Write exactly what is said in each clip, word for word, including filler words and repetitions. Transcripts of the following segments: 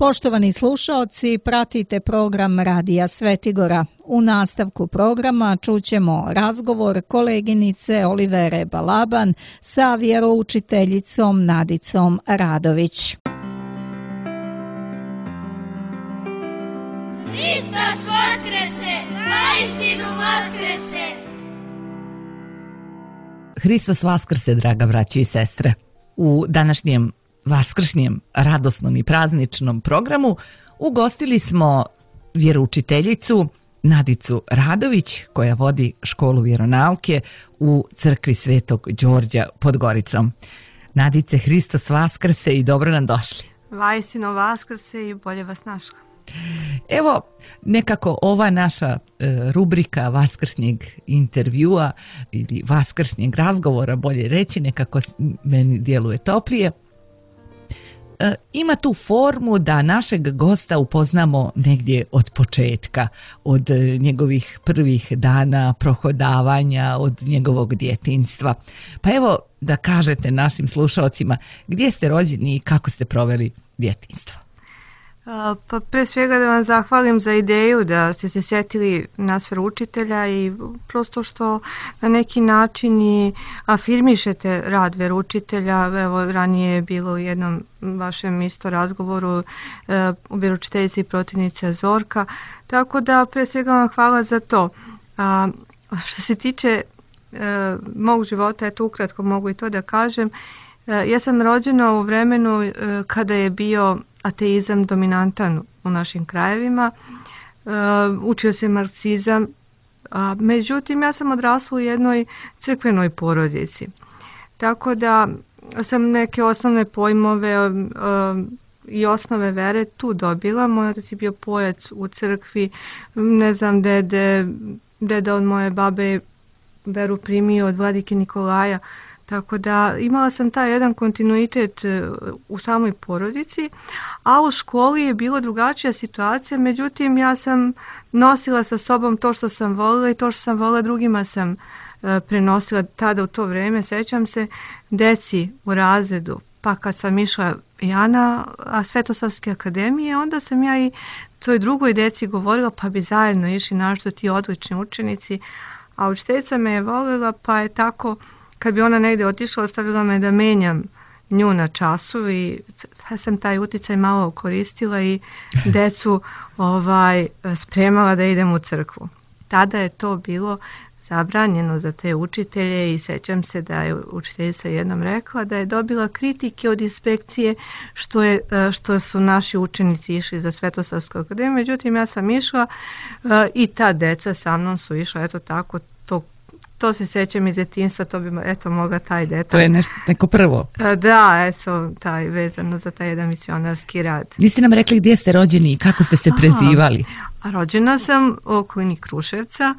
Poštovani slušaoci, pratite program Radija Svetigora. U nastavku programa čućemo razgovor koleginice Olivere Balaban sa vjeroučiteljicom Nadicom Radović. Hristos vaskrese, naistinu vaskrese. Hristos vaskrse, draga braći i sestre. U današnjem vaskršnjem, radosnom i prazničnom programu ugostili smo vjeroučiteljicu Nadicu Radović, koja vodi školu vjeronauke u crkvi Svetog Đorđa pod Goricom. Nadice, Hristos vaskrse i dobro nam došli. Vajsino vaskrse i bolje vas našla. Evo, nekako ova naša e, rubrika vaskršnjeg intervjua ili vaskršnjeg razgovora, bolje reći, nekako meni djeluje toplije. E, ima tu formu da našeg gosta upoznamo negdje od početka, od e, njegovih prvih dana prohodavanja, od njegovog djetinjstva. Pa evo da kažete našim slušalcima gdje ste rođeni i kako ste proveli djetinjstvo. Pa pre svega da vam zahvalim za ideju da ste se sjetili nas veroučitelja i prosto što na neki način i afirmišete rad veroučitelja. Evo, ranije je bilo u jednom vašem isto razgovoru u vjeroučiteljici i protivnice Zorka, tako da pre svega vam hvala za to. A, što se tiče e, mog života, eto ukratko mogu i to da kažem. E, ja sam rođena u vremenu e, kada je bio ateizam dominantan u našim krajevima, e, učio se marksizam, a, međutim ja sam odrasla u jednoj crkvenoj porodici, tako da sam neke osnovne pojmove e, i osnove vere tu dobila. Moj otac je bio pojac u crkvi, ne znam, dede, deda od moje babe veru primio od vladike Nikolaja, tako da imala sam taj jedan kontinuitet u samoj porodici, a u školi je bila drugačija situacija, međutim ja sam nosila sa sobom to što sam volila i to što sam volila drugima sam e, prenosila tada u to vrijeme. Sećam se deci u razredu, pa kad sam išla ja na Svetosavske akademije, onda sam ja i toj drugoj deci govorila pa bi zajedno išli našto ti odlični učenici, a učiteljica me je volila pa je tako kad bi ona negdje otišla, ostavila me da menjam nju na času i ja sam taj uticaj malo koristila i decu ovaj, spremala da idem u crkvu. Tada je to bilo zabranjeno za te učitelje i sećam se da je učiteljica jednom rekla da je dobila kritike od inspekcije što, je, što su naši učenici išli za Svetosavsku akademiju. Međutim, ja sam išla i ta deca sa mnom su išla, eto tako, to To se sećam iz djetinjstva, to bi eto mogla taj detalj. To je nešto, neko prvo. Da, eto, taj, vezano za taj jedan misionarski rad. Niste nam rekli gdje ste rođeni i kako ste se prezivali? A, rođena sam u okolini Kruševca,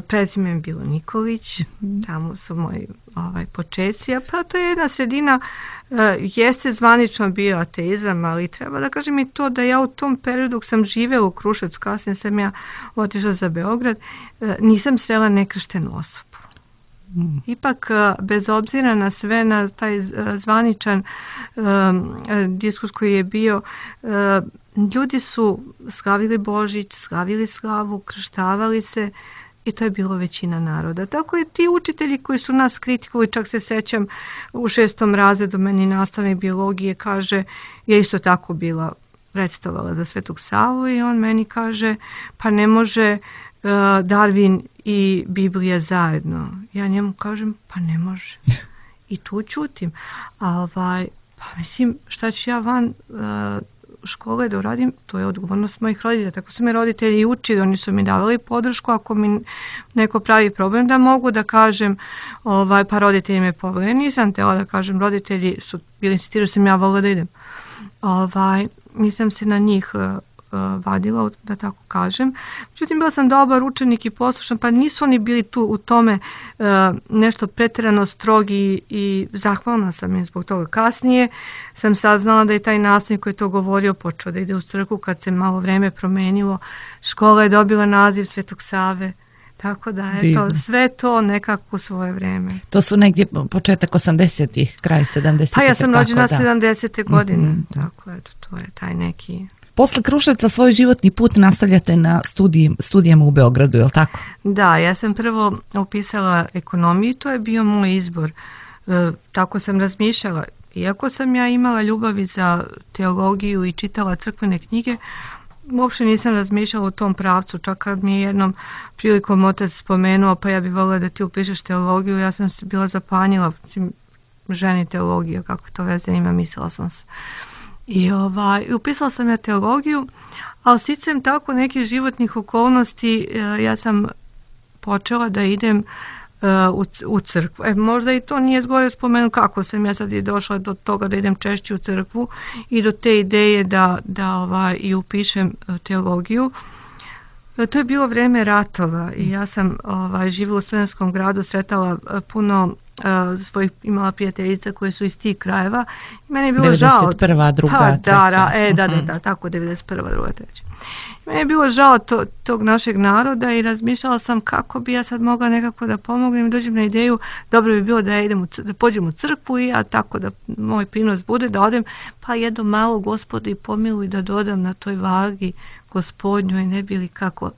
prezime je bilo Nikolić, tamo su moji ovaj, počeci, a pa to je jedna sredina, jeste zvanično bio ateizam, ali treba da kažem i to da ja u tom periodu dok sam živela u Kruševcu, kasnije sam ja otišla za Beograd, nisam srela nekrštenu osobu. Mm. Ipak, bez obzira na sve, na taj zvaničan um, diskurs koji je bio, um, ljudi su slavili Božić, slavili slavu, krštavali se, i to je bilo većina naroda. Tako i ti učitelji koji su nas kritikovali, čak se sećam u šestom razredu meni nastavnik biologije kaže, ja isto tako bila predstavovala za Svetog Savu i on meni kaže, pa ne može uh, Darwin i Biblija zajedno. Ja njemu kažem, pa ne može. I tu ćutim. A ovaj, pa mislim, šta ću ja van uh, škole da uradim, to je odgovornost mojih roditelja. Tako su me roditelji učili, oni su mi davali podršku, ako mi neko pravi problem da mogu da kažem, ovaj, pa roditelji me poveli. Nisam tela da kažem, roditelji su bili insistirali, sam ja volila da idem. Ovaj, nisam se na njih uh, vadila, da tako kažem. Međutim, bila sam dobar učenik i poslušan, pa nisu oni bili tu u tome uh, nešto pretjerano strogi i zahvalna sam im zbog toga. Kasnije sam saznala da je taj nastavnik koji je to govorio počeo da ide u crkvu kad se malo vreme promenilo. Škola je dobila naziv Svetog Save, Tako da je to, sve to nekako u svoje vreme. To su negdje početak osamdesetih, kraj sedamdesetih. Pa ja sam rođena sedamdesete godine, mm-hmm. tako eto, to je taj neki... Posle Kruševca svoj životni put nastavljate na studij, studijama u Beogradu, je li tako? Da, ja sam prvo upisala ekonomiju, to je bio moj izbor. E, tako sam razmišljala. Iako sam ja imala ljubavi za teologiju i čitala crkvene knjige, uopšte nisam razmišljala u tom pravcu. Čak kad mi je jednom prilikom otac spomenuo, pa ja bih volila da ti upišeš teologiju, ja sam se bila zapanjila, ženi teologija, kako to veze ima, mislila sam se. I ovaj, upisala sam ja teologiju, ali sticam tako nekih životnih okolnosti, ja sam počela da idem u, u crkvu. E, možda i to nije zgore spomenuti kako sam ja sad i došla do toga da idem češće u crkvu i do te ideje da, da ovaj, i upišem teologiju. To je bilo vreme ratova i ja sam ovaj, živjela u Studentskom gradu, sretala puno uh, svojih, imala prijateljica koje su iz tih krajeva. I meni je bilo žao. devedeset prva, druga, pa, da, treća. E, da, da, da, tako, devedeset prva, druga, treća. Meni je bilo žao to, tog našeg naroda i razmišljala sam kako bi ja sad mogla nekako da pomognem i dođem na ideju, dobro bi bilo da ja idem u, da pođem u crkvu i ja tako da moj prinos bude, da odem, pa jedno malo Gospodi pomiluj da dodam na toj vagi Gospodnjoj, ne bi li kako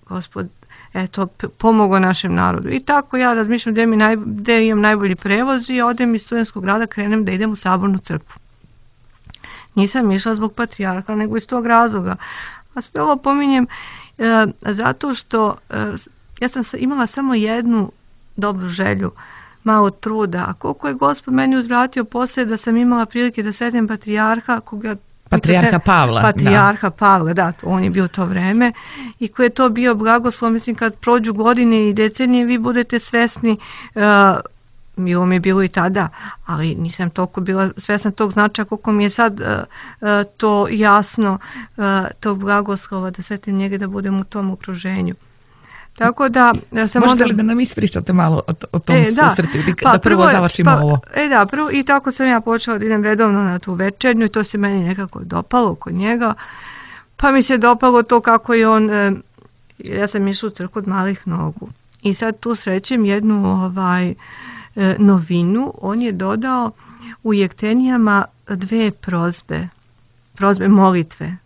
Gospod eto, pomogao našem narodu. I tako ja razmišljam gdje, mi naj, gdje imam najbolji prevoz i odem iz Studentskog grada, krenem da idem u Sabornu crkvu. Nisam išla zbog patrijarha, nego iz tog razloga. A sve ovo pominjem e, zato što e, ja sam imala samo jednu dobru želju, malo truda. A koliko je Gospod meni uzvratio poslije da sam imala prilike da sretnem patrijarha, koga Patrijarha Pavla. Patrijarha da. Pavla, da, on je bio to vreme i koji je to bio blagoslov, mislim kad prođu godine i decenije vi budete svesni, uh, bilo mi je bilo i tada, ali nisam toliko bila svesna tog značaja koliko mi je sad uh, uh, to jasno, uh, tog blagoslova da svetim njega da budem u tom okruženju. Tako da ja sam možete onda... li da nam ispričate malo o, o tom e, da, susretu ili pa, da prvo, prvo završimo pa, ovo? E da, prvo i tako sam ja počela da idem redovno na tu večernju i to se meni nekako dopalo kod njega. Pa mi se dopalo to kako je on, e, ja sam išla u crkvu od malih nogu. I sad tu srećem jednu ovaj, e, novinu, on je dodao u jektenijama dve prozbe, prozbe molitve.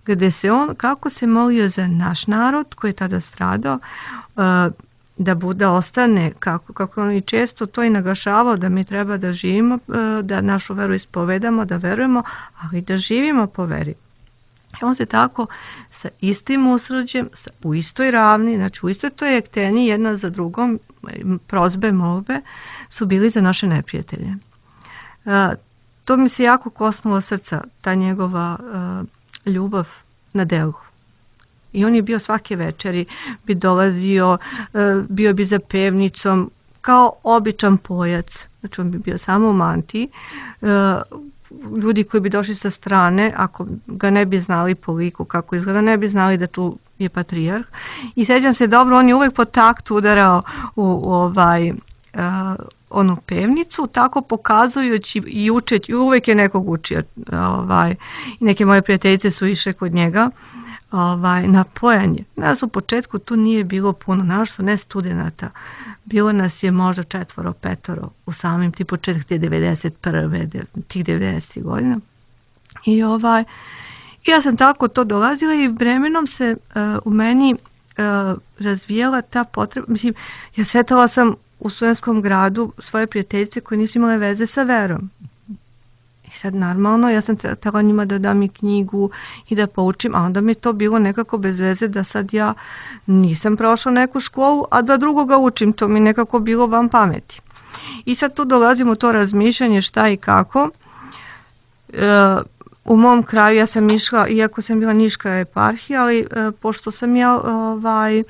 Gde se on, kako se molio za naš narod koji je tada stradao, uh, da bude ostane, kako, kako on i često to i naglašavao, da mi treba da živimo, uh, da našu veru ispovedamo, da verujemo, ali da živimo po veri. I on se tako sa istim usrđem, sa, u istoj ravni, znači u istoj toj jekteni, jedna za drugom, prozbe, molbe, su bili za naše neprijatelje. Uh, to mi se jako kosnulo srca, ta njegova uh, ljubav na delu. I on je bio svake večeri, bi dolazio, bio bi za pevnicom, kao običan pojac. Znači on bi bio samo u mantiji. Ljudi koji bi došli sa strane, ako ga ne bi znali po liku kako izgleda, ne bi znali da tu je patrijarh. I sjećam se dobro, on je uvek po taktu udarao u, u ovaj... Uh, onu pevnicu, tako pokazujući i učeći, uvijek je nekog učio. Ovaj, neke moje prijateljice su išle kod njega ovaj, na pojanje. Nas u početku tu nije bilo puno, naš su ne studenata. Bilo nas je možda četvoro, petoro u samim ti početak te devedeset prve, tih devedesetih godina. I ovaj, ja sam tako to dolazila i vremenom se uh, u meni uh, razvijela ta potreba. Mislim, ja sretala sam u Studentskom gradu svoje prijateljice koje nisu imale veze sa verom. I sad normalno, ja sam htjela njima da dam i knjigu i da poučim, a onda mi to bilo nekako bez veze da sad ja nisam prošla neku školu, a da drugoga učim, to mi nekako bilo van pameti. I sad tu dolazimo u to razmišljanje šta i kako. E, u mom kraju ja sam išla, iako sam bila Niška eparhija, ali e, pošto sam ja ovaj,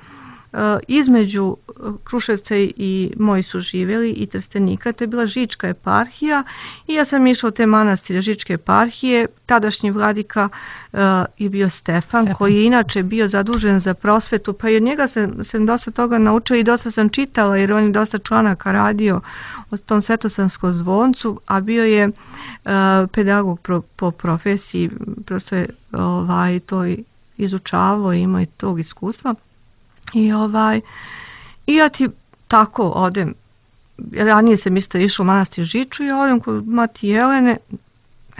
između Kruševca i moji su živjeli i Trstenika, to je bila Žička eparhija i ja sam išla u te manastire Žičke eparhije. Tadašnji vladika uh, je bio Stefan, Stefan koji je inače bio zadužen za prosvetu, pa i od njega sam, sam dosta toga naučila i dosta sam čitala jer on je dosta članaka radio o tom Svetosanskom zvoncu, a bio je uh, pedagog pro, po profesiji, prosto je ovaj, to izučavao i imao i tog iskustva. I ovaj, I ja ti tako odem, ranije sam isto išla u manastir Žiču i odem kod mati Jelene,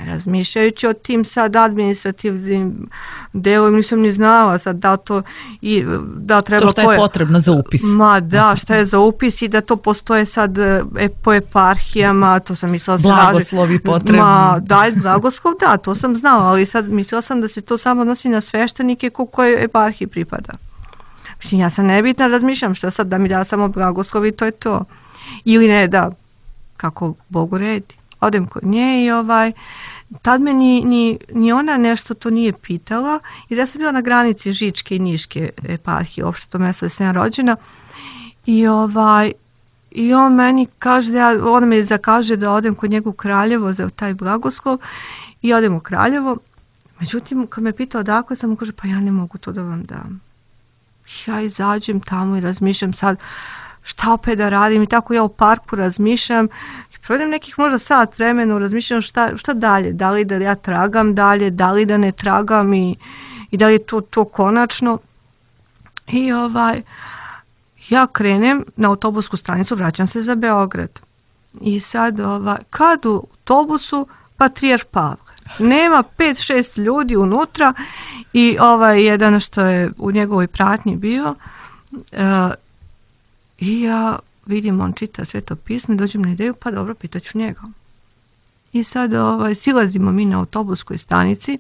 razmišljajući o tim sad administrativnim delom, nisam ni znala sad da to i da treba to šta je koje... potrebno za upis. Ma da, šta je za upis i da to postoje sad e, po eparhijama, to sam mislila... Blagoslovi potrebni. Ma da, blagoslov, da, to sam znala, ali sad mislila sam da se to samo odnosi na sveštenike ko koje eparhiji pripada. Mislim, ja sam nebitna, razmišljam što sad da mi da samo blagoslov i to je to. Ili ne, da, kako Bogu redi. Odem kod nje i ovaj, tad me ni, ni, ni ona nešto to nije pitala, jer ja sam bila na granici Žičke i Niške eparhije, uopšte to mjesto da sam ja rođena, i ovaj, i on meni kaže, da ja, on me zakaže da odem kod njega u Kraljevo za taj blagoslov, i odem u Kraljevo, međutim, kad me pitao odakle, sam mu kaže, pa ja ne mogu to da vam dam. Ja izađem tamo i razmišljam sad, šta opet da radim, i tako ja u parku razmišljam, provedem nekih možda sat vremena, razmišljam šta, šta dalje, da li da ja tragam dalje, da li da ne tragam i, i da li je to, to konačno. I ovaj, ja krenem na autobusku stanicu, vraćam se za Beograd. I sad, ovaj, kad u autobusu, Patrijarh Pavle. Nema pet šest ljudi unutra i ovaj jedan što je u njegovoj pratnji bio, uh, i ja vidim, on čita Sveto pismo, dođem na ideju, pa dobro, pitaću njega. I sad ovaj, silazimo mi na autobuskoj stanici,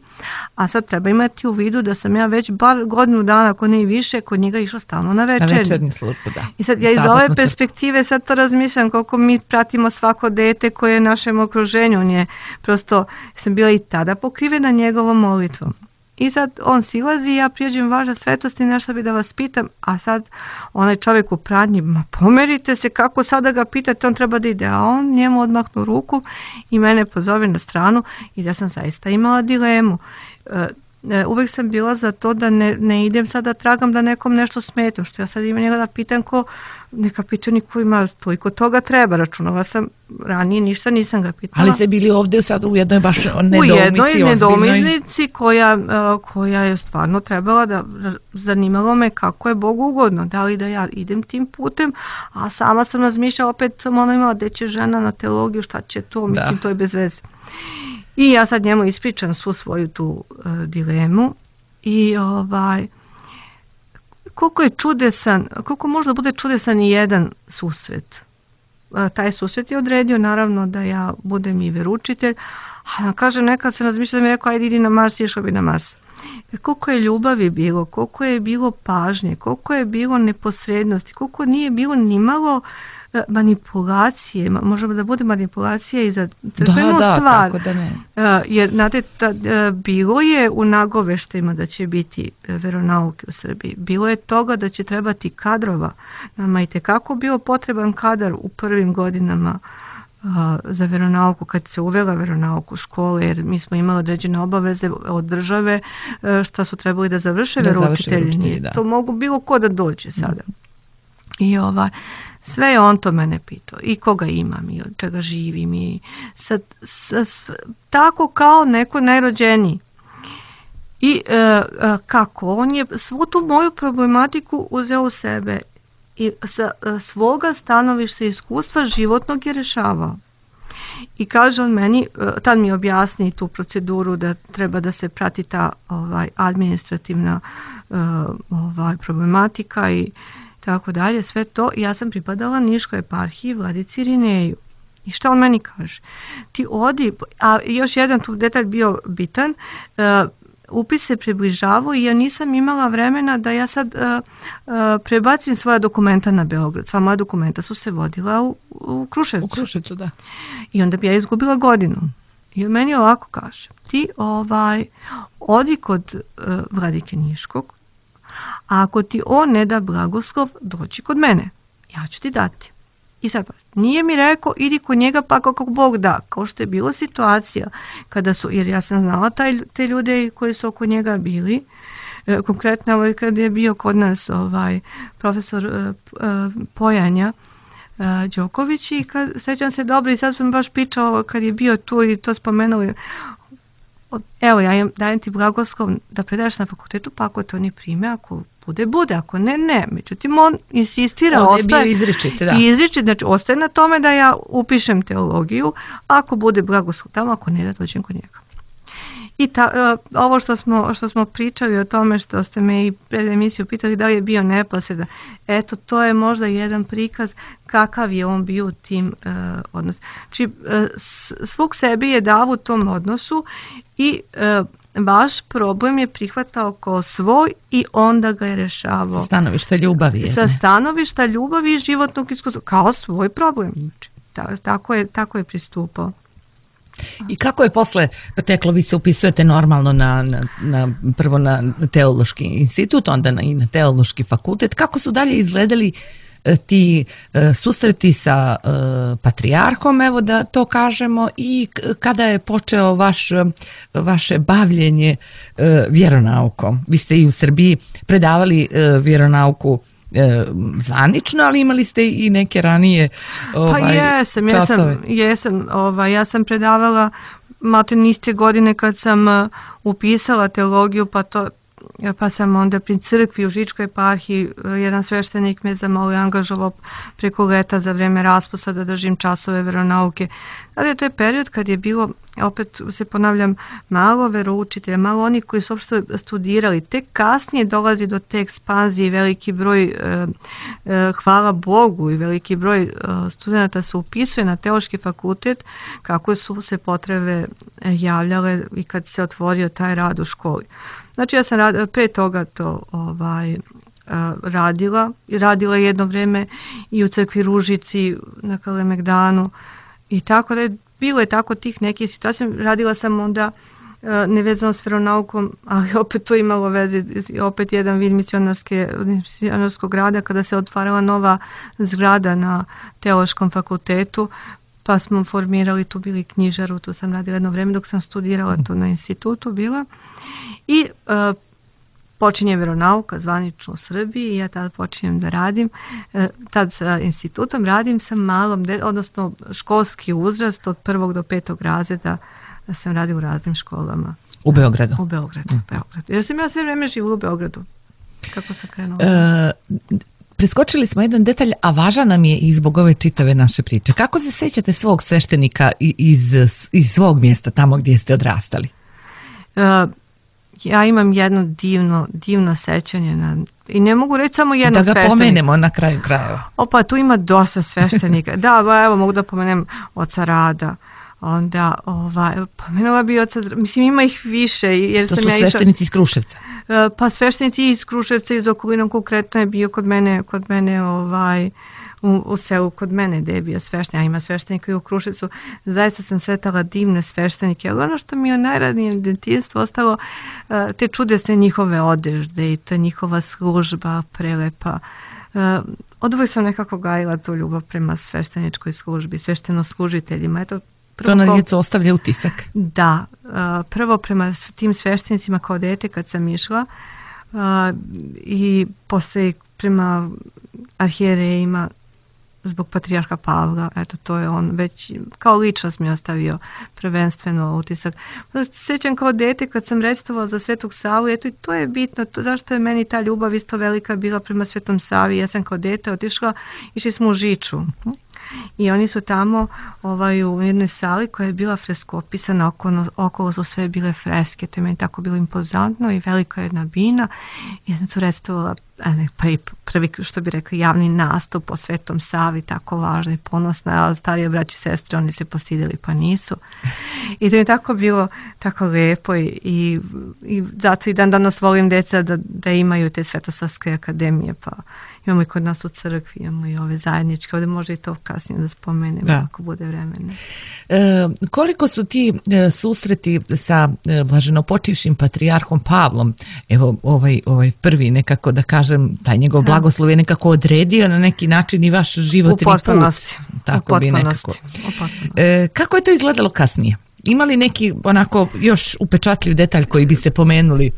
a sad treba imati u vidu da sam ja već bar godinu dana, ako ne i više, kod njega išla stalno na večernju. Na večernju službu, da. I sad ja iz ove perspektive sad to razmišljam koliko mi pratimo svako dete koje je u našem okruženju. On je, prosto sam bila i tada pokrivena njegovom molitvom. I sad on silazi i ja prijeđem važa svetosti, nešto bi da vas pitam, a sad onaj čovjek u pratnji, ma pomerite se, kako sada ga pitate, on treba da ide, a on njemu odmahnu ruku i mene pozove na stranu i da sam zaista imala dilemu. E, e, uvijek sam bila za to da ne, ne idem sad da tragam da nekom nešto smetam, što ja sad imam njega da pitam ko, neka pitani ko ima toliko toga treba, računala sam ranije, ništa nisam ga pitala. Ali ste bili ovdje sad u jednoj baš nedoumici. U jednoj nedoumici koja, koja je stvarno trebala da, zanimalo me kako je Bogu ugodno, da li da ja idem tim putem, a sama sam razmišljala, opet sam ona imala da će žena na teologiju, šta će to, mislim da. To je bez veze. I ja sad njemu ispričam svu svoju tu uh, dilemu i ovaj, koliko je čudesan, koliko možda bude čudesan i jedan susret. Uh, taj susret je odredio naravno da ja budem i veručitelj, a kažem, nekad sam razmišljala da mi je rekao, ajde idi na Mars, išao bi na Mars. Koliko je ljubavi bilo, koliko je bilo pažnje, koliko je bilo neposrednosti, koliko nije bilo ni malo manipulacije, možemo da bude manipulacija i za da, da, stvar. Kako da ne. Uh, jer, znate, ta, uh, bilo je u nagoveštajima da će biti veronauke u Srbiji. Bilo je toga da će trebati kadrova. Nama je tekako bio potreban kadar u prvim godinama uh, za veronauku, kad se uvela veronauku u škole, jer mi smo imali određene obaveze od države uh, šta su trebali da završe da veroučitelji. To mogu bilo ko da dođe sada. Mm. I ovaj, sve je on to mene pitao. I koga imam i od čega živim. I sad, s, s, tako kao neko najrođeniji. I e, e, kako? On je svu tu moju problematiku uzeo u sebe. I sa e, svoga stanovišta iskustva životnog je rešavao. I kaže on meni, e, tad mi objasni tu proceduru da treba da se prati ta ovaj, administrativna e, ovaj, problematika i tako dalje, sve to. Ja sam pripadala Niškoj eparhiji, vladici Irineju. I šta on meni kaže? Ti odi, a još jedan tu detalj bio bitan, uh, upis se približavao i ja nisam imala vremena da ja sad uh, uh, prebacim svoja dokumenta na Beograd. Sva moja dokumenta su se vodila u, u Kruševcu. U Kruševcu, da. I onda bi ja izgubila godinu. I on meni ovako kaže, ti ovaj, odi kod uh, vladike Niškog, a ako ti on ne da blagoslov, doći kod mene. Ja ću ti dati. I sad, nije mi rekao, idi kod njega pa kako Bog da. Kao što je bila situacija, kada su, jer ja sam znala taj, te ljude koji su oko njega bili. E, konkretno, ovaj, kad je bio kod nas ovaj, profesor e, e, Pojanja e, Đoković, i kad, sećam se dobro, i sad sam baš pričao kad je bio tu i to spomenuli, evo ja im dajem ti blagoslov da predaš na fakultetu, pa ako to ne prime, ako bude, bude, ako ne, ne. Međutim, on insistira, on ostaje, je bio izričit, da. izričit, znači ostaje na tome da ja upišem teologiju, ako bude blagoslov tamo, ako ne, da dođem kod njega. I ta, uh, ovo što smo, što smo pričali o tome, što ste me i pred emisiju pitali da li je bio neposredan, eto, to je možda jedan prikaz kakav je on bio u tim uh, odnosu. Znači, uh, svog sebi je dao u tom odnosu i uh, vaš problem je prihvatao kao svoj i onda ga je rešavao. Sa stanovišta ljubavi. Je, Sa stanovišta ljubavi i životnog iskustva, kao svoj problem. Znači, ta, tako, je, tako je pristupao. I kako je posle teklo, vi se upisujete normalno na, na, na prvo na teološki institut, onda na, i na teološki fakultet. Kako su dalje izgledali ti e, susreti sa e, patrijarhom, evo da to kažemo, i kada je počeo vaš, vaše bavljenje e, vjeronaukom? Vi ste i u Srbiji predavali e, vjeronauku E, zvanično, ali imali ste i neke ranije ovaj, pa jesam, jesam, jesam ovaj, ja sam predavala malo niste godine kad sam uh, upisala teologiju, pa to pa sam onda pri crkvi u Žičkoj eparhiji, jedan sveštenik me zamolio, angažovao preko leta za vreme raspusta da držim časove veronauke. Ali to je period kad je bilo, opet se ponavljam, malo veroučitelja, malo oni koji su uopšte studirali. Tek kasnije dolazi do te ekspanzije i veliki broj, e, e, hvala Bogu, i veliki broj e, studenta se upisuje na teološki fakultet, kako su se potrebe javljale i kad se otvorio taj rad u školi. Znači ja sam rad, pre toga to ovaj, radila, radila jedno vreme i u crkvi Ružici na Kalemegdanu i tako da je bilo je tako tih nekih situacija. Radila sam onda nevezano s veronaukom, ali opet to imalo veze, opet jedan vid misionarskog rada kada se otvarala nova zgrada na teološkom fakultetu, pa smo formirali, tu bili knjižaru, tu sam radila jedno vreme dok sam studirala tu na institutu bila. I uh, počinje veronauka zvanično u Srbiji i ja tada počinjem da radim. Uh, tad sa institutom radim sa malom, de, odnosno školski uzrast od prvog do petog razreda sam radila u raznim školama. U Beogradu? U Beogradu, mm. Beogradu. Jer sam ja sve vreme živjela u Beogradu. Kako sam krenula? Uh, preskočili smo jedan detalj, a važan nam je i zbog ove čitave naše priče. Kako se sećate svog sveštenika iz, iz svog mjesta, tamo gdje ste odrastali? Uh, Ja imam jedno divno, divno sećanje na, i ne mogu reći samo jedno sveštenika. Da ga pomenemo na kraju krajeva. Opa, tu ima dosta sveštenika. Da, evo mogu da pomenem oca Rada. Onda, ovaj, pomenula bi oca, mislim ima ih više. Jer to sam su ja sveštenici iz Kruševca? Pa sveštenici iz Kruševca, iz okolinom, konkretno je bio kod mene, kod mene ovaj, u, u selu kod mene gde je bio sveštenik, a ima sveštenika i u Kruševcu. Zaista sam sretala divne sveštenike, ali ono što mi je u najradnijem detinjstvu ostalo, te čudesne njihove odežde i ta njihova služba prelepa. Od uvijek sam nekako gajila tu ljubav prema svešteničkoj službi, svešteno-služiteljima. Eto, prvo, to na djecu ostavlja utisak. Da, prvo prema tim sveštenicima kao dete kad sam išla i posle prema arhijerejima zbog patrijarha Pavla, eto to je on već kao ličnost mi ostavio prvenstveno utisak. Sjećam kao dete kad sam recitovala za Svetog Savu, eto i to je bitno, to, zašto je meni ta ljubav isto velika bila prema Svetom Savi. Ja sam kao dete otišla, išli smo u Žiču i oni su tamo ovaj, u jednoj sali koja je bila freskopisana, okolo, okolo su sve bile freske, to je meni tako bilo impozantno i velika jedna bina. Ja sam tu recitovala pa i prvi, što bi rekli, javni nastup po Svetom Savi, tako važno i ponosno, a starije braći i sestre, oni se posidili pa nisu. I to je tako bilo tako lepo i, i, i zato i dan danas volim deca da, da imaju te svetosavske akademije, pa imamo i kod nas u crkvi, imamo i ove zajedničke, ovdje može i to kasnije da spomenem, da. Ako bude vremena. E, koliko su ti e, susreti sa e, blaženopočivšim patrijarhom Pavlom, evo ovaj, ovaj prvi nekako da kažem, taj njegov blagoslov je nekako odredio na neki način i vaš životni put. U potpunosti. Tako bi nekako. E, kako je to izgledalo kasnije? Ima li neki onako još upečatljiv detalj koji bi se pomenuli?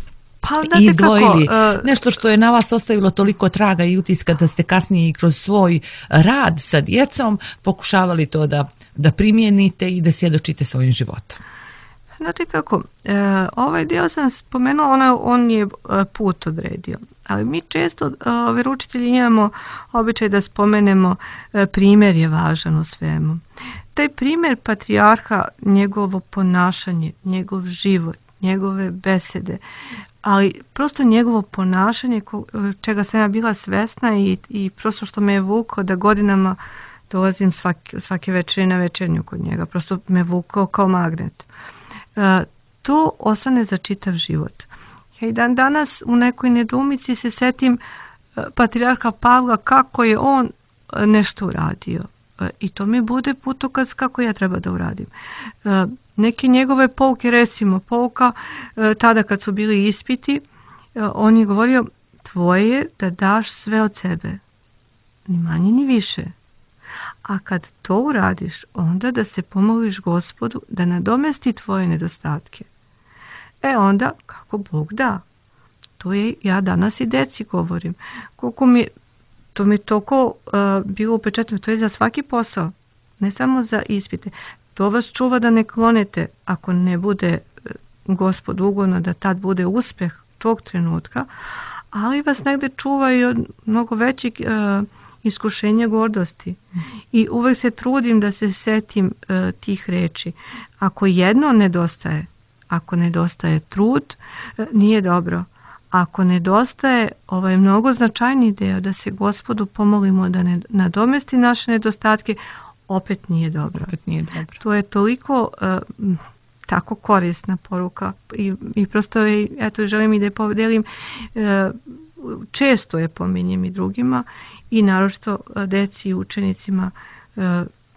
Pa, i izdvojili kako, uh, nešto što je na vas ostavilo toliko traga i utiska da ste kasnije i kroz svoj rad sa djecom pokušavali to da, da primijenite i da svjedočite svojim životom? Znate kako, e, ovaj dio sam spomenuo, ona, on je put odredio, ali mi često e, veroučitelji imamo običaj da spomenemo e, primjer je važan u svemu. Taj primjer patrijarha, njegovo ponašanje, njegov život, njegove besede, ali prosto njegovo ponašanje ko, čega sam ja bila svesna i, i prosto što me je vukao da godinama dolazim svake, svake večeri na večernju kod njega, prosto me vukao kao magnet. E, to ostane za čitav život. Ja i dan danas u nekoj nedoumici se setim e, patrijarha Pavla kako je on nešto uradio. E, I to mi bude putokaz kako ja treba da uradim. E, neke njegove pouke, recimo pouka, e, tada kad su bili ispiti, e, on je govorio tvoje je da daš sve od sebe. Ni manje ni više. A kad to uradiš, onda da se pomoliš Gospodu da nadomesti tvoje nedostatke. E onda, kako Bog da. To je, ja danas i deci govorim. Koliko mi, to mi je toliko uh, bilo upečatno, to je za svaki posao, ne samo za ispite. To vas čuva da ne klonete, ako ne bude uh, Gospod ugodno da tad bude uspjeh tog trenutka, ali vas negde čuva i od mnogo većih uh, iskušenja gordosti. I uvek se trudim da se setim uh, tih reči. Ako jedno nedostaje, ako nedostaje trud, uh, nije dobro. Ako nedostaje ovaj mnogo značajni deo da se Gospodu pomolimo da ne nadomesti naše nedostatke, opet nije dobro. Opet nije dobro. To je toliko uh, tako korisna poruka i, i prosto je, eto, želim i da je podelim, uh, često je pominjem i drugima i naročito deci i učenicima,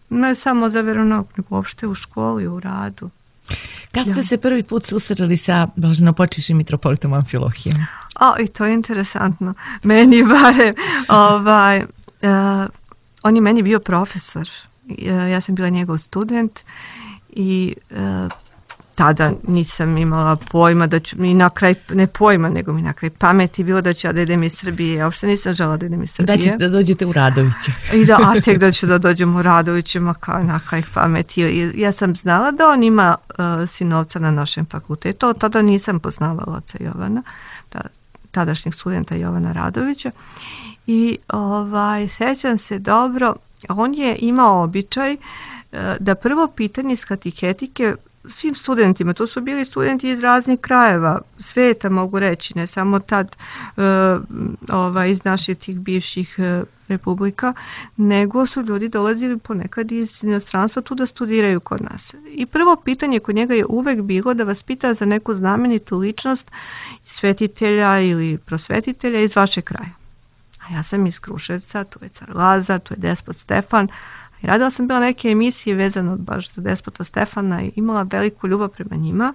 ne samo za veronauk, nego uopšte u školi, u radu. Kad ste ja. se prvi put susreli sa blaženopočivšim mitropolitom Amfilohijom? O, i to je interesantno. Meni bare, ovaj, uh, on je meni bio profesor. Uh, ja sam bila njegov student i uh, tada nisam imala pojma da ću mi na kraj, ne pojma, nego mi na kraj pameti bilo da ću ja da idem iz Srbije. Ja uopšte nisam žela da idem iz Srbije. Da ćete da dođete u Radoviće. I da, a tek da ću da dođem u Radoviće, ma kao na kraj pameti. I ja sam znala da on ima uh, sinovca na našem fakultetu, tada nisam poznavala oca Jovana, da, tadašnjeg studenta Jovana Radovića. I ovaj, sećam se dobro, on je imao običaj uh, da prvo pitanje iz katehetike svim studentima, to su bili studenti iz raznih krajeva sveta, mogu reći, ne samo tad uh, ovaj, iz naših tih bivših uh, republika, nego su ljudi dolazili ponekad iz inostranstva tu da studiraju kod nas. I prvo pitanje kod njega je uvek bilo da vas pita za neku znamenitu ličnost svetitelja ili prosvetitelja iz vašeg kraja. A ja sam iz Kruševca, tu je car Lazar, tu je despot Stefan. I radila sam bila neke emisije vezano baš za despota Stefana i imala veliku ljubav prema njima.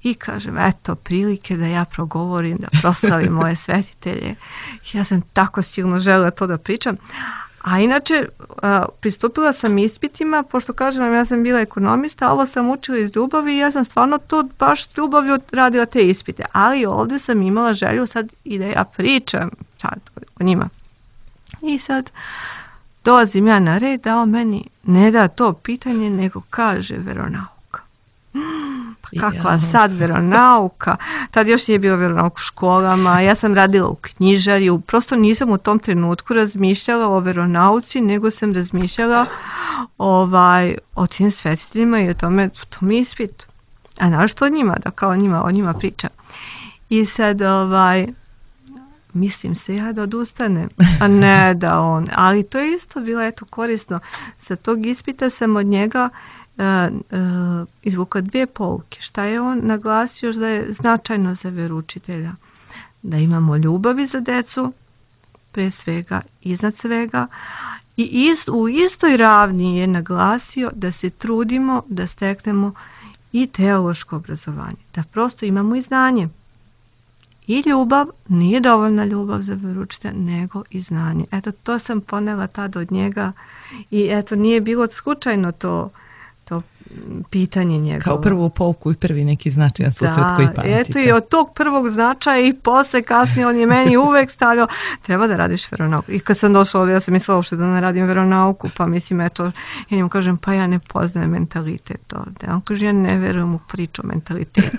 I kažem, eto, prilike da ja progovorim, da proslavim moje svetitelje. Ja sam tako silno želela to da pričam. A inače, pristupila sam ispitima, pošto kažem vam, ja sam bila ekonomista, ovo sam učila iz ljubavi i ja sam stvarno to baš s ljubavlju radila te ispite. Ali ovdje sam imala želju sad i da ja pričam sad o njima. I sad dolazim ja na red, da on meni ne da to pitanje, nego kaže veronauka. Kakva sad veronauka? Tad još nije bio veronauk u školama, ja sam radila u knjižarju, prosto nisam u tom trenutku razmišljala o veronauci, nego sam razmišljala ovaj, o tim svetiteljima i o tome, to mi ispit. A našto o njima, da kao o njima, o njima pričam. I sad, ovaj, mislim se ja da odustane, a ne da on. Ali to je isto bilo eto korisno. Sa tog ispita sam od njega uh, uh, izvukla dvije pouke. Šta je on naglasio da je značajno za veroučitelja? Da imamo ljubavi za decu, pre svega, iznad svega. I ist, u istoj ravni je naglasio da se trudimo da steknemo i teološko obrazovanje. Da prosto imamo i znanje. I ljubav, nije dovoljna ljubav za veroučitelja, nego i znanje. Eto, to sam ponela tada od njega i eto, nije bilo slučajno to to pitanje njegovo. Kao prvu pouku i prvi neki značajan susret koji pamtite. Eto i od tog prvog značaja i posle kasnije on je meni uvek stavljao treba da radiš veronauku. I kad sam došla ovdje, ja sam mislila uopšte da ne radim veronauku, pa mislim eto, ja njemu kažem pa ja ne poznajem mentalitet ovdje. On kaže ja ne verujem u priču o mentalitetu.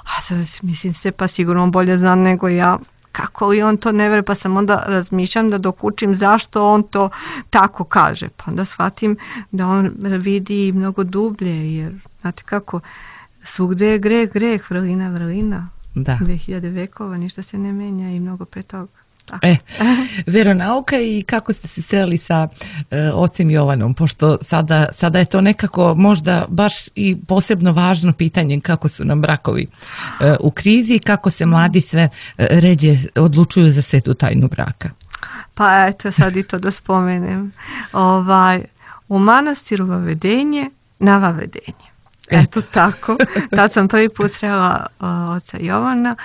A sad mislim se pa sigurno on bolje zna nego ja. Kako li on to ne veruje, pa sam onda razmišljam da dok učim zašto on to tako kaže. Pa onda shvatim da on vidi mnogo dublje, jer znate kako, svugde je greh, greh, vrlina, vrlina. Da. dve hiljade vekova, ništa se ne menja i mnogo pre toga. Tako. E, veronauka i kako ste se sreli sa e, ocem Jovanom, pošto sada, sada je to nekako možda baš i posebno važno pitanje kako su nam brakovi e, u krizi i kako se mladi sve e, ređe odlučuju za svetu tajnu braka. Pa eto sad i to da spomenem. Ovaj, u manastiru Vavedenje na Vavedenje. Eto tako, tad sam prvi put srela uh, oca Jovana.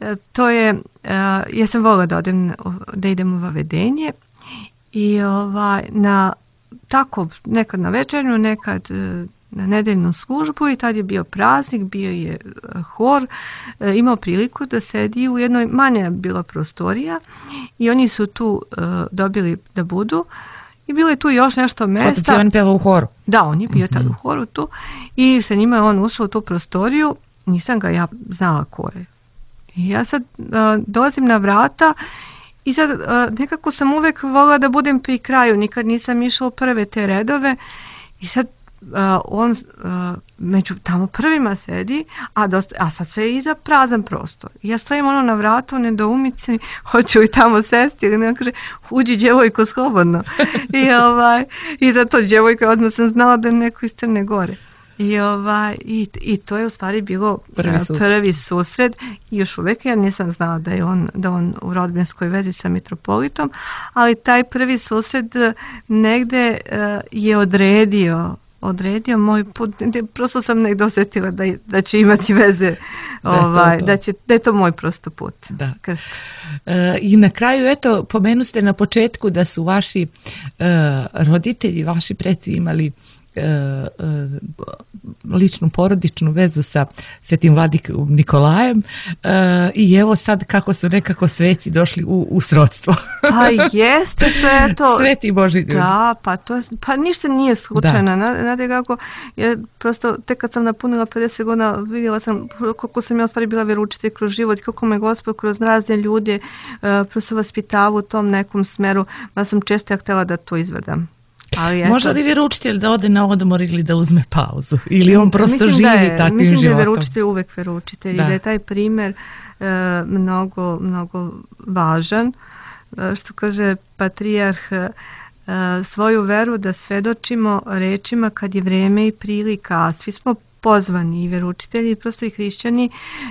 E, to je, uh, ja sam volila da odem, da idem u Vavedenje i ovaj, na tako, nekad na večernju, nekad uh, na nedeljnu službu i tad je bio praznik, bio je uh, hor, uh, imao priliku da sedi u jednoj, manja bila prostorija i oni su tu uh, dobili da budu. I bilo je tu još nešto mjesta. Otac Jovan pjeva u horu. Da, on je bio mm-hmm. tad u horu tu. I sa njima je on ušao u tu prostoriju. Nisam ga ja znala ko je. I ja sad uh, dolazim na vrata i sad uh, nekako sam uvek volila da budem pri kraju. Nikad nisam išla u prve te redove. I sad uh, on uh, među tamo prvima sedi, a, dosta, a sad sve je iza prazan prostor. I ja stojim ono na vratu, nedoumici, hoću li tamo sesti ili ne, kaže, uđi djevojko slobodno. I, ovaj, i za to djevojka odmah sam znala da je neko iz Crne Gore. I, ovaj, i, i to je u stvari bilo prvi, uh, prvi susret i još uvijek ja nisam znala da je on, da on u rodbinskoj vezi sa mitropolitom, ali taj prvi susret negde uh, je odredio odredio moj put, prosto sam negdje osjetila da, da će imati veze, da, ovaj, to to. Da, će, da je to moj prosto put. Da. E, I na kraju, eto, pomenu ste na početku da su vaši e, roditelji, vaši preci imali e, e, ličnu porodičnu vezu sa Svetim Vladikom Nikolajem e, i evo sad kako su nekako sveci došli u, u srodstvo. Pa jeste sve to. Sveti Boži ljudi. Da, pa to pa ništa nije slučajno. Znate kako, ja prosto tek kad sam napunila pedeset godina vidjela sam koliko sam ja stvari bila vjeroučitelj kroz život, kako me Gospod kroz razne ljude uh, prosto vaspitava u tom nekom smeru, da sam često ja htjela da to izvedam. Ali može li vjeroučitelj da ode na odmor ili da uzme pauzu? Ili on prosto mislim živi da je, takvim mislim životom? Mislim da je vjeroučitelj uvek vjeroučitelj i da je taj primjer uh, mnogo, mnogo važan. Uh, što kaže patrijarh, uh, svoju veru da svedočimo rečima kad je vrijeme i prilika, a svi smo pozvani i vjeroučitelji, prosto i hrišćani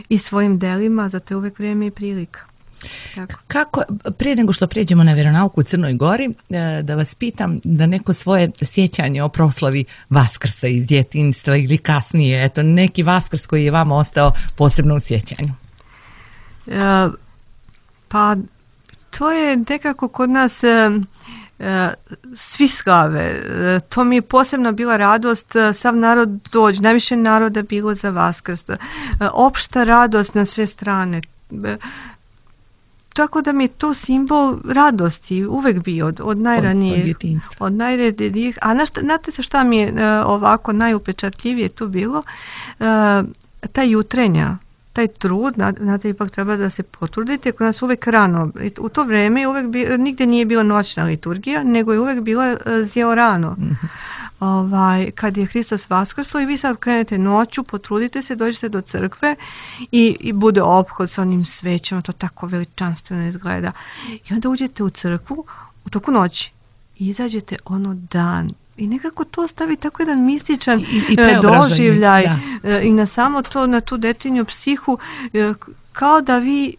i svojim delima, zato je uvek vrijeme i prilika. Tako. Kako, prije nego što pređemo na vjeronauku u Crnoj Gori, da vas pitam da neko svoje sjećanje o proslavi Vaskrsa iz djetinjstva ili kasnije, eto neki Vaskrs koji je vama ostao posebno u sjećanju. E, pa to je nekako kod nas e, svi slave. E, to mi je posebno bila radost, sav narod dođe, najviše naroda bilo za Vaskrs. E, opšta radost na sve strane. E, Tako da mi je to simbol radosti uvek bio od, od najranijih, od, od najranijih. A znate se šta mi je uh, ovako najupečatljivije tu bilo? Uh, ta jutrenja, taj trud, znate, ipak treba da se potrudite, kod nas uvek rano. U to vreme uvek bi, nigde nije bila noćna liturgija, nego je uvek bila uh, zjeo rano. Mm-hmm. Ovaj, kad je Hristos vaskrslo i vi sad krenete noću, potrudite se, dođete do crkve i, i bude ophod sa onim svećama, to tako veličanstveno izgleda. I onda uđete u crkvu u toku noći i izađete ono dan. I nekako to stavi tako jedan mističan I, i doživljaj da. I na samo to, na tu detinju psihu, kao da vi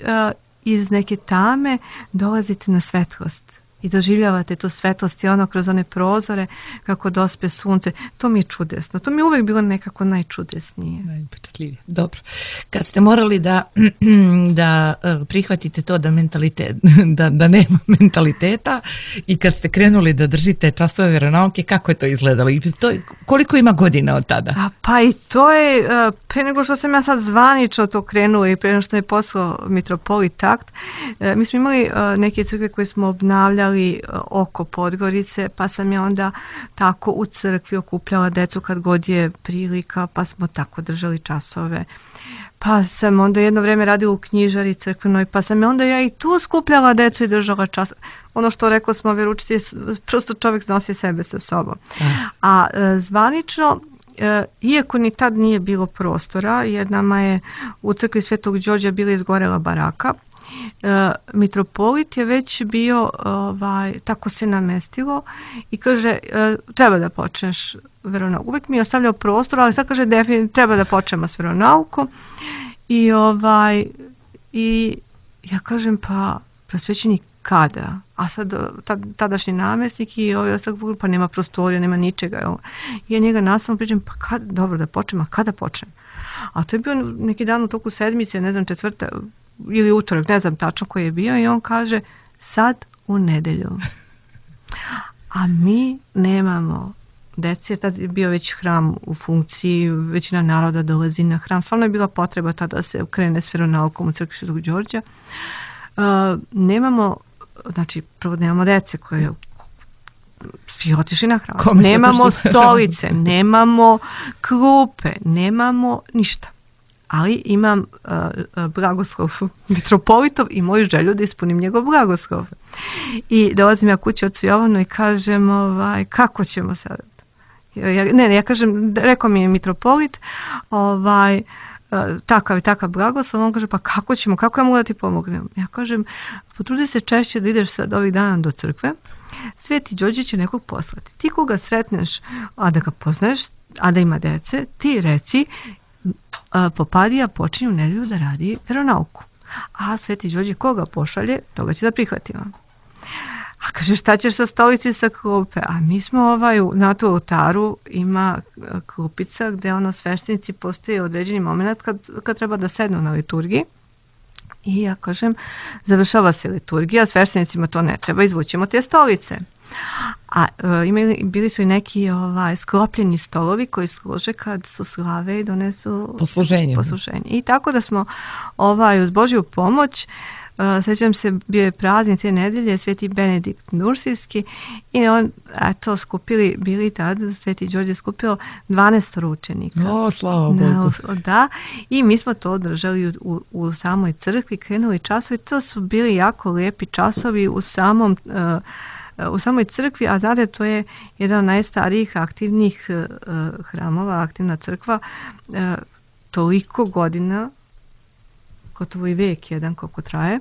iz neke tame dolazite na svetlost. i doživljavate tu svetlost i ono kroz one prozore kako dospe sunce. To mi je čudesno. To mi je uvijek bilo nekako najčudesnije. Najpečatljivije. Dobro. Kad ste morali da, da prihvatite to da, mentalitet, da, da nema mentaliteta i kad ste krenuli da držite časove vjeronauke, kako je to izgledalo? I to, koliko ima godina od tada? A, pa i to je, pre nego što sam ja sad zvanično to krenula i pre nego što je poslao mitropolit takt, mi smo imali neke crkve koje smo obnavljali oko Podgorice, pa sam ja onda tako u crkvi okupljala decu kad god je prilika, pa smo tako držali časove. Pa sam onda jedno vrijeme radila u knjižari crkvenoj, pa sam onda ja i tu skupljala decu i držala čas. Ono što rekao smo vjeroučitelji, prosto čovjek nosi sebe sa sobom. A e, zvanično, e, iako ni tad nije bilo prostora, jer nama je u crkvi Svetog Đorđa bila izgorela baraka, e, mitropolit je već bio, ovaj, tako se namestilo i kaže, e, treba da počneš veronauku. Uvijek mi je ostavljao prostor, ali sad kaže, definitivno treba da počnemo s veronaukom. I ovaj i ja kažem, pa prosvećenik kada? A sad tadašnji namjesnik i ovaj ostak, pa nema prostorija, nema ničega. I ja njega nastavno pričam, pa kad, dobro da počnem, a kada počnem? A to je bio neki dan u toku sedmice, ne znam, četvrta ili utorak, ne znam tačno koji je bio, i on kaže, sad u nedelju. A mi nemamo deci, tad je bio već hram u funkciji, većina naroda dolazi na hram, stvarno je bila potreba tada da se krene s veronaukom u crkvi Svetog Đorđa. Uh, nemamo, znači prvo nemamo dece koje svi otišli na hram, Kome nemamo stolice, nemamo klupe, nemamo ništa. Ali imam uh, blagoslov mitropolitov i moju želju da ispunim njegov blagoslov. I dolazim ja kući od Jovanu i kažem, ovaj, kako ćemo sad? Ja, ne, ne, ja kažem, rekao mi je mitropolit, ovaj, takav i takav blagoslov, on kaže, pa kako ćemo, kako ja mogu da ti pomognem? Ja kažem, potrudi se češće da ideš sad ovih dana do crkve, Sveti Đorđe će nekog poslati. Ti koga sretneš, a da ga poznaješ, a da ima dece, ti reci, Popadija počinje u nedelju da radi veronauku. A Sveti Đorđe koga pošalje, toga će da prihvatimo. A kaže, šta ćeš sa stolici sa klupe? A mi smo ovaj, na tu oltaru ima klupica gde ono sveštenici postoje određeni moment kad, kad treba da sednu na liturgiji. I ja kažem, završava se liturgija, sveštenicima to ne treba, izvućemo te stolice. A e, imali, bili su i neki ovaj, sklopljeni stolovi koji služe kad su slave i donesu posluženje. posluženje. I tako da smo ovaj, uz Božju pomoć, Uh, sjećam se, bio je praznik te nedelje, Sveti Benedikt Nursijski, i on, eto, skupili, bili tad, Sveti Đorđe skupilo dvanaest učenika. O, slava Bogu. Da, i mi smo to održali u, u, u samoj crkvi, krenuli časovi, to su bili jako lijepi časovi u samom, uh, u samoj crkvi, a znate, to je jedan od najstarijih aktivnih uh, hramova, aktivna crkva, uh, toliko godina, gotovo i vijek jedan koliko traje,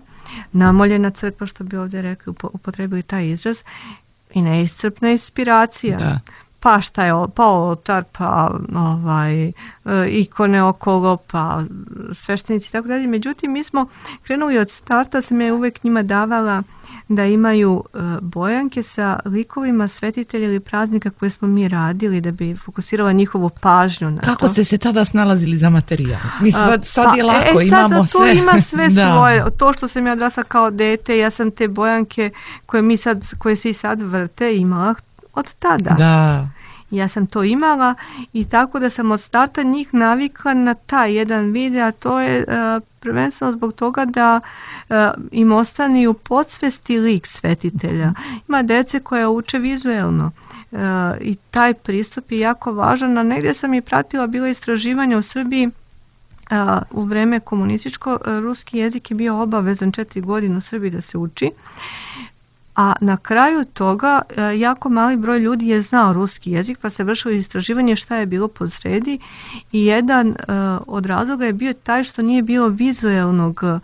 namoljena crkva, što bi ovdje rekli, upotrebili taj izraz, i neiscrpna inspiracija. Da. Pa šta je, pa oltar, pa ovaj, ikone okolo, pa sveštenici i tako dalje. Međutim, mi smo krenuli od starta, sam je uvijek njima davala da imaju uh, bojanke sa likovima svetitelja ili praznika koje smo mi radili, da bi fokusirala njihovu pažnju na Kako to. ste se tada snalazili za materijal? Mi sad, sad pa, je lako, e, imamo to sve. ima sve da. svoje. To što sam ja odrasla kao dete, ja sam te bojanke koje mi sad, koje se i sad vrte, imala od tada. Da. Ja sam to imala i tako da sam od starta njih navikla na taj jedan video, a to je uh, prvenstveno zbog toga da uh, im ostane u podsvesti lik svetitelja. Ima dece koja uče vizuelno uh, i taj pristup je jako važan, a negdje sam i pratila bila istraživanja u Srbiji. Uh, u vreme komunističko, uh, ruski jezik je bio obavezan četiri godine u Srbiji da se uči. A na kraju toga jako mali broj ljudi je znao ruski jezik, pa se vršilo istraživanje šta je bilo posredi, i jedan uh, od razloga je bio taj što nije bilo vizuelnog uh,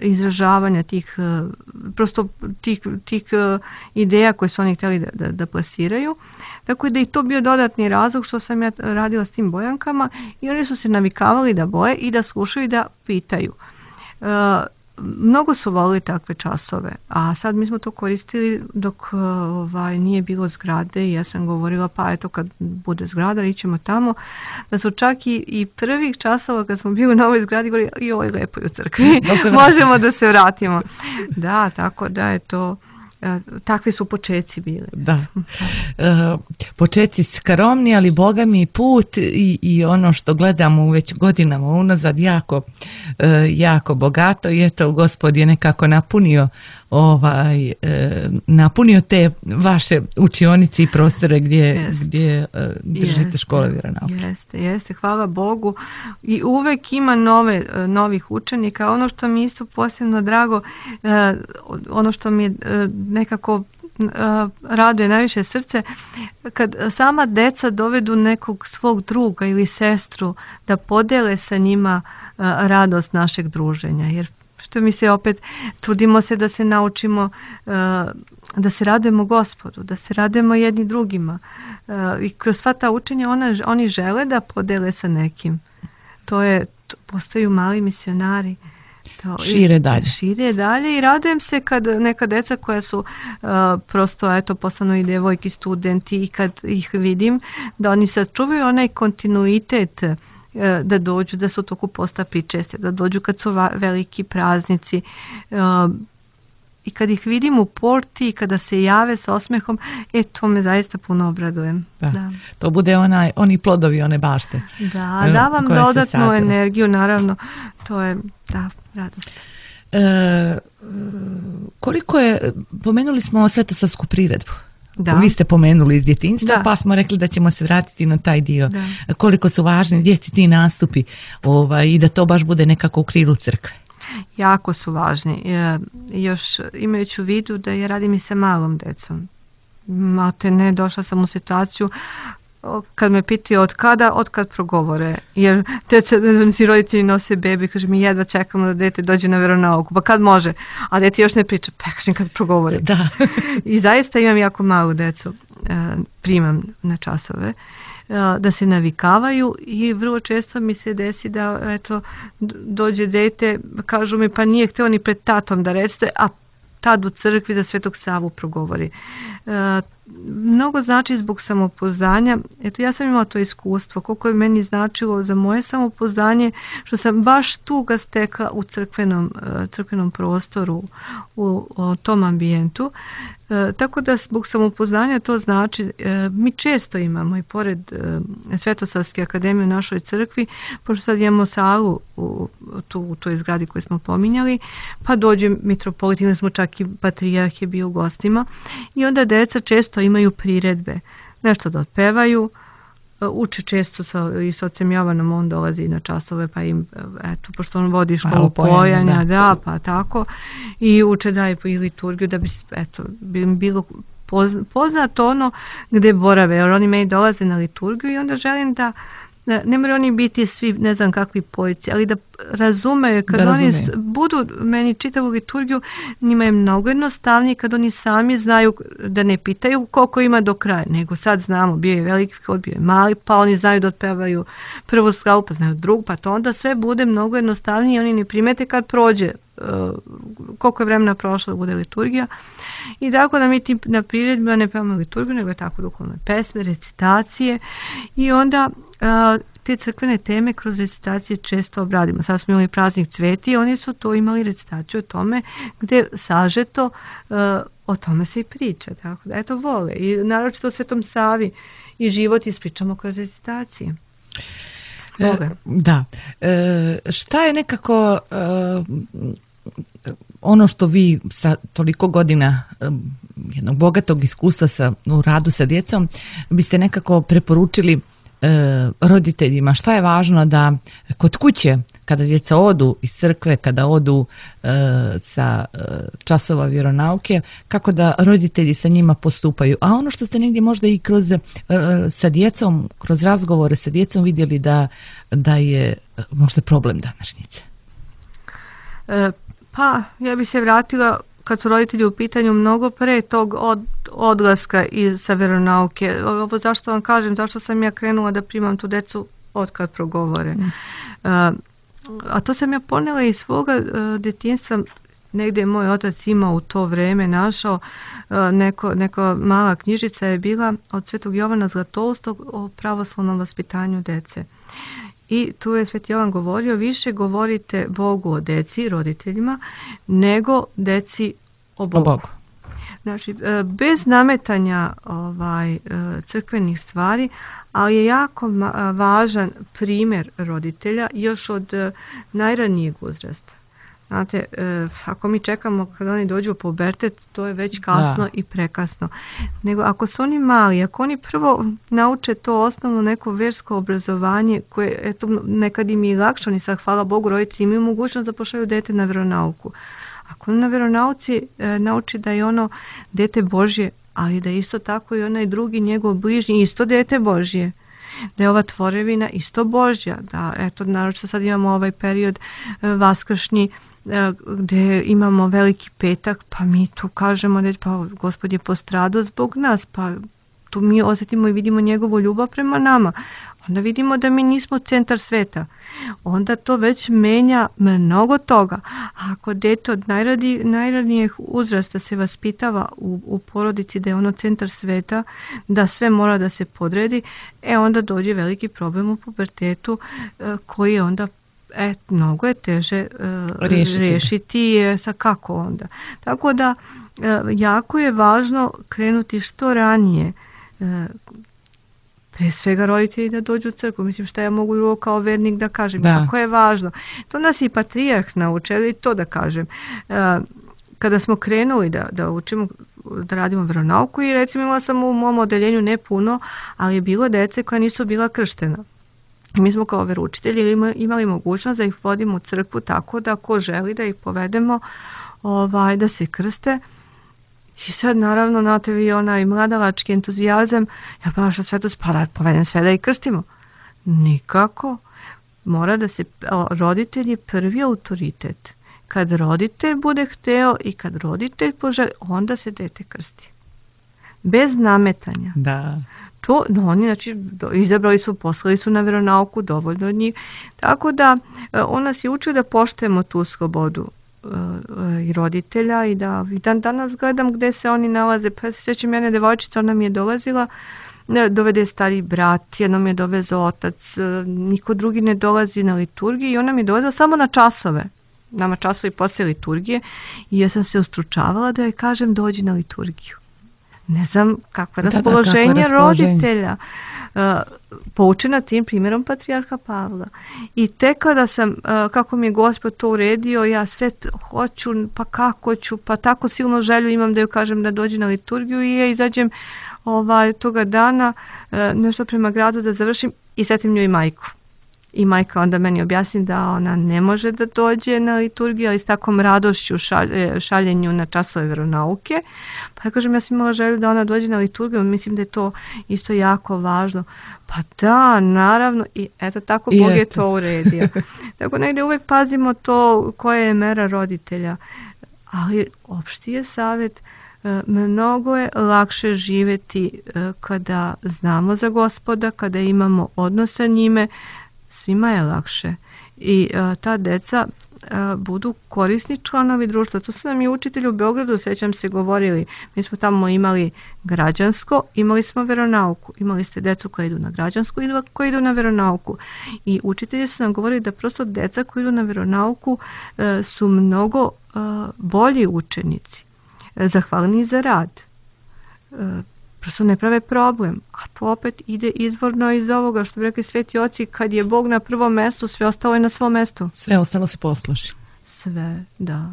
izražavanja tih, uh, prosto tih, tih uh, ideja koje su oni htjeli da, da, da plasiraju. Tako da i to bio dodatni razlog što sam ja radila s tim bojankama, i oni su se navikavali da boje i da slušaju i da pitaju. Uh, mnogo su volili takve časove, a sad mi smo to koristili dok ovaj, nije bilo zgrade i ja sam govorila pa eto kad bude zgrada ićemo tamo, da su čak i, i prvih časova kad smo bili na ovoj zgradi govorili joj lepo je u crkvi, možemo da se vratimo. Da, tako da je to, takvi su počeci bili. Da, e, počeci skromni, ali Boga mi put i, i ono što gledamo već godinama unazad jako, e, jako bogato i eto Gospod je nekako napunio ovaj, e, napunio te vaše učionice i prostore gdje, yes. gdje e, držite yes. škole vjeronauke. Jeste, jeste, hvala Bogu i uvek ima nove, novih učenika. Ono što mi isto posebno drago, e, ono što mi je e, nekako raduje najviše srce, kad sama deca dovedu nekog svog druga ili sestru da podele sa njima radost našeg druženja, jer što mi se opet trudimo se da se naučimo da se radujemo Gospodu, da se radujemo jedni drugima i kroz sva ta učenja ona, oni žele da podele sa nekim. To je, to postaju mali misionari. To, šire dalje. Šire dalje i radujem se kad neka deca koja su uh, prosto eto postanu i devojki studenti i kad ih vidim da oni sačuvaju onaj kontinuitet uh, da dođu, da su toku posta pričeste, da dođu kad su va, veliki praznici uh, i kad ih vidim u porti i kada se jave sa osmehom, e to me zaista puno obradujem. Da. Da. To bude onaj, oni plodovi, one bašte. Da, da vam dodatnu energiju, naravno, to je, da, radost. E, koliko je, pomenuli smo Svetosavsku priredbu. Da. Vi ste pomenuli iz djetinjstva, da. Pa smo rekli da ćemo se vratiti na taj dio. Da. Koliko su važni djeci ti nastupi ovaj, i da to baš bude nekako u krilu crkve. Jako su važni. E, još imajući u vidu da ja radim i sa malom decom. Malte ne, došla sam u situaciju kad me pitaju od kada, od kad progovore. Jer deca, si roditelji nose bebi, kaže mi jedva čekamo da dete dođe na veronauku. Pa kad može? A dete još ne priča, pa kažem kad progovore. Da. I zaista imam jako malu decu. E, primam na časove. Da se navikavaju i vrlo često mi se desi da eto, dođe dete, kažu mi pa nije hteo ni pred tatom da recite, a tad u crkvi za Svetog Savu progovori. E, mnogo znači zbog samopouzdanja. Eto, ja sam imala to iskustvo, koliko je meni značilo za moje samopouzdanje, što sam baš tu ga stekla u crkvenom, crkvenom prostoru, u, u tom ambijentu. E, tako da zbog samopouzdanja to znači, e, mi često imamo i pored e, Svetosavske akademije u našoj crkvi, pošto sad imamo salu u, tu, u toj zgradi koju smo pominjali, pa dođe mitropolit, ili smo čak i patrijarh je bio u gostima i onda deca često imaju priredbe, nešto da otpevaju, uče često sa, i sa ocem Jovanom, on dolazi na časove pa im, eto, pošto on vodi školu pojanja, da. da, pa tako, i uče da i, i liturgiju da bi, eto, bi bilo poznato ono gde borave, jer oni meni dolaze na liturgiju i onda želim da ne moraju oni biti svi ne znam kakvi pojci, ali da razumeju kad da oni razumeju. Budu meni čitavu liturgiju, njima je mnogo jednostavnije kad oni sami znaju da ne pitaju koliko ima do kraja, nego sad znamo, bio je veliki hod, bio je mali, pa oni znaju da otpevaju prvu slavu, pa znaju drugu, pa to onda sve bude mnogo jednostavnije i oni ne primete kad prođe uh, koliko je vremena prošlo da bude liturgija. I tako da mi ti na priredbima ne pevamo liturgiju, nego je tako duhovne pesme, recitacije i onda a, te crkvene teme kroz recitacije često obradimo. Sad smo imali praznik Cveti i oni su to imali recitaciju o tome gdje sažeto a, o tome se i priča. Tako da eto vole i naročito o Svetom Savi i život ispričamo kroz recitacije. E, da. E, šta je nekako e, ono što vi sa toliko godina jednog bogatog iskustva sa, u radu sa djecom biste nekako preporučili e, roditeljima, šta je važno da kod kuće kada djeca odu iz crkve, kada odu e, sa e, časova vjeronauke, kako da roditelji sa njima postupaju, a ono što ste negdje možda i kroz e, sa djecom, kroz razgovore sa djecom vidjeli da, da je možda problem današnjice. E, Pa, ja bi se vratila kad su roditelji u pitanju mnogo pre tog od, odlaska iz sa veronauke. Ovo zašto vam kažem, zašto sam ja krenula da primam tu decu od kad progovore. Mm. Uh, a to sam ja ponela iz svoga uh, djetinjstva. Negdje je moj otac imao u to vrijeme našao uh, neko, neka mala knjižica je bila od Svetog Jovana Zlatoustog o pravoslavnom vaspitanju dece. I tu je Sveti Jovan govorio, više govorite Bogu o deci, roditeljima, nego deci o Bogu. O Bogu. Znači, bez nametanja ovaj, crkvenih stvari, ali je jako važan primjer roditelja još od najranijeg uzrasta. Znate, ako mi čekamo kada oni dođu u pubertet, to je već kasno da. I prekasno. Nego ako su oni mali, ako oni prvo nauče to osnovno neko vjersko obrazovanje, koje eto, nekad im je lakše, oni sad, hvala Bogu, roditelji imaju mogućnost da pošalju dete na vjeronauku. Ako na vjeronauci e, nauči da je ono dete Božje, ali da isto tako i onaj drugi njegov bližnji isto dete Božje, da je ova tvorevina isto Božja, da eto naročito sad imamo ovaj period e, vaskršnji e, gdje imamo veliki petak, pa mi tu kažemo da pa Gospod je postradao zbog nas, pa tu mi osjetimo i vidimo njegovu ljubav prema nama. Onda vidimo da mi nismo centar sveta. Onda to već menja mnogo toga. A ako dete od najradi, najranijeg uzrasta se vaspitava u, u porodici da je ono centar sveta, da sve mora da se podredi, e onda dođe veliki problem u pubertetu e, koji je onda e, mnogo je teže e, riješiti. riješiti e, sa kako onda. Tako da e, jako je važno krenuti što ranije e, pre svega roditelji da dođu u crkvu. Mislim, šta ja mogu drugo kao vernik da kažem. Da. Kako je važno. To nas i patrijarh naučili to da kažem. E, kada smo krenuli da, da učimo, da radimo vjeronauku i recimo imala sam u mom odeljenju ne puno, ali je bilo dece koja nisu bila krštena. Mi smo kao veroučitelji imali mogućnost da ih vodimo u crkvu tako da ko želi da ih povedemo ovaj, da se krste. I sad naravno na tebi onaj mladalački entuzijazam, ja pa što sve to spada, povedem sve da ih krstimo. Nikako. Mora da se, roditelj je prvi autoritet. Kad roditelj bude hteo i kad roditelj poželi, onda se dete krsti. Bez nametanja. Da. To, no, oni znači izabrali su, poslali su na vjeronauku dovoljno od njih. Tako da on nas je učio da poštujemo tu slobodu i roditelja i da i dan danas gledam gdje se oni nalaze. Pa se sjećam jedne devojčice, ona mi je dolazila, dovede stari brat, jednom je dovezao otac, niko drugi ne dolazi na liturgiju i ona mi je dolazila samo na časove. Nama časovi poslije liturgije i ja sam se ustručavala da joj kažem dođi na liturgiju. Ne znam kakvo je raspoloženje roditelja. Uh, poučena tim primjerom patrijarha Pavla. I tek kada sam, uh, kako mi je Gospod to uredio, ja sve hoću, pa kako ću, pa tako silno želju imam da joj kažem da dođe na liturgiju i ja izađem ovaj, toga dana uh, nešto prema gradu da završim i setim nju i majku. I majka onda meni objasni da ona ne može da dođe na liturgiju, ali s takom radošću šalje, šaljenju na časove vjeronauke. Pa ja kažem, ja sam imala želju da ona dođe na liturgiju, mislim da je to isto jako važno. Pa da, naravno, i eto tako I Bog eto. je to uredio. Tako negdje uvijek pazimo to koja je mera roditelja. Ali opšti je savjet, mnogo je lakše živjeti kada znamo za Gospoda, kada imamo odnos sa njime, svima je lakše i uh, ta deca uh, budu korisni članovi društva. To su nam i učitelji u Beogradu, sjećam se, govorili. Mi smo tamo imali građansko, imali smo vjeronauku. Imali ste decu koji idu na građansko i koji idu na vjeronauku. I učitelji su nam govorili da prosto deca koji idu na vjeronauku uh, su mnogo uh, bolji učenici. Uh, zahvalni za rad. Uh, prosto ne prave problem, a to opet ide izvorno iz ovoga što bi rekli sveti oci, kad je Bog na prvom mjestu, sve ostalo je na svom mjestu. Sve ostalo se posluši. Sve, da.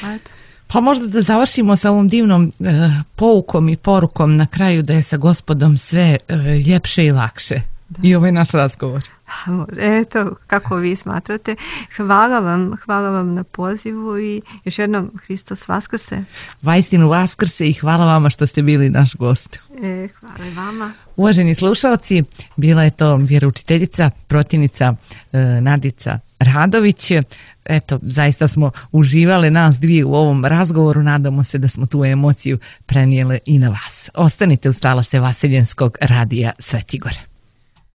Ajde. Pa možda da završimo sa ovom divnom e, poukom i porukom na kraju da je sa Gospodom sve e, ljepše i lakše. Da. I ovaj naš razgovor. Eto, kako vi smatrate. Hvala vam, hvala vam na pozivu i još jednom Hristos Vaskrse. Vaistinu Vaskrse i hvala vama što ste bili naš gost. E, hvala i vama. Uvaženi slušalci, bila je to vjeroučiteljica, protivnica e, Nadica Radović. Eto, zaista smo uživale nas dvije u ovom razgovoru, nadamo se da smo tu emociju prenijele i na vas. Ostanite uz talase Vaseljenskog radija Sveti Gor.